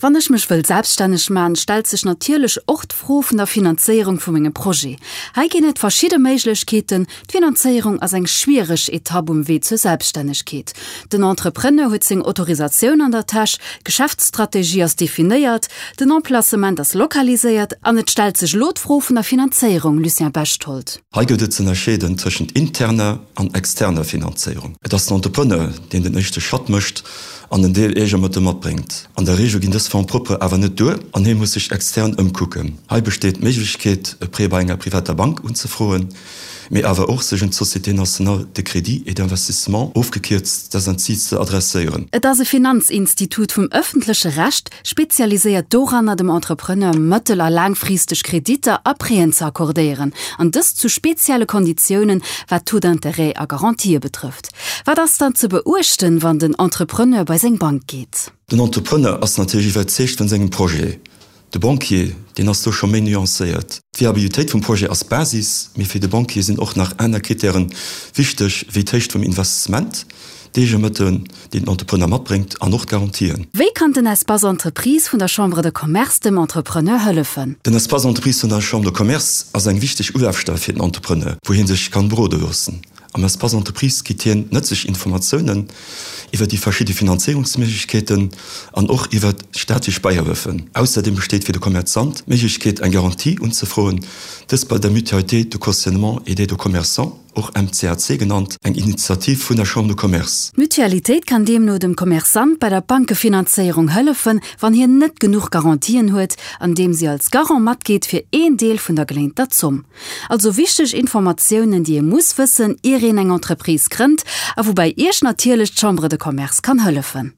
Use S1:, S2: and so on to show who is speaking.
S1: Wann ech mech wëll selbststänneg man, stellt sech natierlech och d'Fro vun der Finanzéierung vu mengem Projet. Hei ginn et verschidde Méiglechkeeten. D'Finanzéierung ass eng schwiereg Etapp um Wee zur Selbststännegkeet. Den Entrepreneur huet seng Autorisatioun an der Täsch, d'Geschäftsstrategie ass definéiert, den Emplacement ass lokaliséiert an et stellt sech elo d'Fro vun der Finanzéierung, Lucien Bechtold.
S2: Hei gëtt et z'ënnerscheeden tëschent interner an externer Finanzéierung. Et ass den Entrepreneur, deen den éischte Schratt mécht an en Deel Eegemëttel matbréngt. An der Reegel ginn dës Fonds propres awer net duer an hie muss sech extern ëmkucken. Hei besteet d'Méiglechkeet, e Prêt bei enger privater Bank unzefroen, mee awer och sech un d'Société nationale de crédit et d'investissement, ofgekierzt SNCI, ze adresséieren.
S1: Et ass e Finanzinstitut vum ëffentleche Recht, spezialiséiert doranner, dem Entrepreneur mëttel a laangfristeg Kreditter a Prêten ze accordéieren, an dëst zu spezielle Konditiounen, wat Taux d'intérêt a Garantië betrëfft. Wat ass dann ze beuechten, wann den Entrepreneur bei seng Bank geet?
S2: Den Entrepreneur ass natierlech iwwerzeegt vun sengem Projet. De Banquier, deen ass do scho méi nuancéiert. D'Viabilitéit vum Projet ass d'Basis, mee fir de Banquier sinn och nach aner Krittären wichteg, wéi d'Héicht vum Investissement, d'Eegemëttel, déi den Entrepreneur matbréngt an och d'Garantien.
S1: Wéi kann den Espace Entreprise vun der Chambre de Commerce dem Entrepreneur hëllefen?
S2: Den Espace Entreprise vun der Chambre de Commerce ass eng wichteg Ulafstell fir den Entrepreneur, wou hie sech kann berode loossen. Am Espace Entreprise kritt hien nëtzlech Informatiounen iwwer déi verschidde Finanzéierungsméiglechkeeten an och iwwer staatlech Bäihëllefen. Ausserdeem besteet fir de Commerçant d'Méiglechkeet eng Garantie unzefroen, dës bei der Mutualité de cautionnement et d'aide aux commerçants, och MCAC genannt, eng Initiativ vun der Chambre de Commerce.
S1: D'Mutualitéit kann deemno dem Commerçant bei der Bankefinanzéierung hëllefen, wann hien net genuch Garantien huet, andeem si als Garant matgeet fir een Deel vun der geléinter Zomm. Also wichteg Informatiounen, déi ee muss wëssen, ier een eng Entreprise grënnt a woubäi Iech natierlech d'Chambre de Commerce kann hëllefen.